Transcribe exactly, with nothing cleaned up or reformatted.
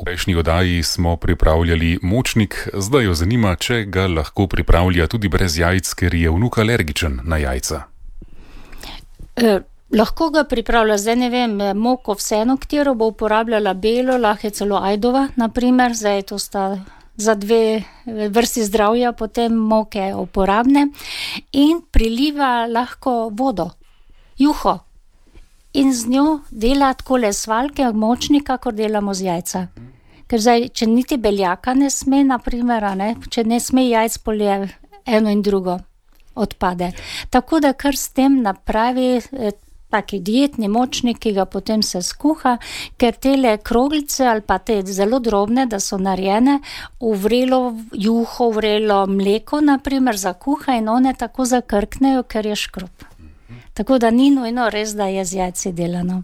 V prejšnji oddaji smo pripravljali močnik, zdaj jo zanima, če ga lahko pripravlja tudi brez jajc, ker je vnuk alergičen na jajca. E, lahko ga pripravlja, zdaj ne vem, moko vseeno, katero bo uporabljala belo, lahko je celo ajdova, naprimer, zdaj to sta za dve vrsti zdravja, potem moke uporabne in priliva lahko vodo, juho. In z njo dela takole svaljke močnika, kakor delamo z jajca. Ker zdaj, če niti beljaka ne sme, naprimer, ne, če ne sme jajc, polje eno in drugo odpade. Tako da kar s tem napravi eh, taki dietni močnik, ki ga potem se skuha, ker tele kroglice ali pa te zelo drobne, da so narejene, v vrelo juho, v vrelo mleko, naprimer, zakuha in one tako zakrknejo, ker je škrob. Tako da ni nujno res, da je z jajci delano.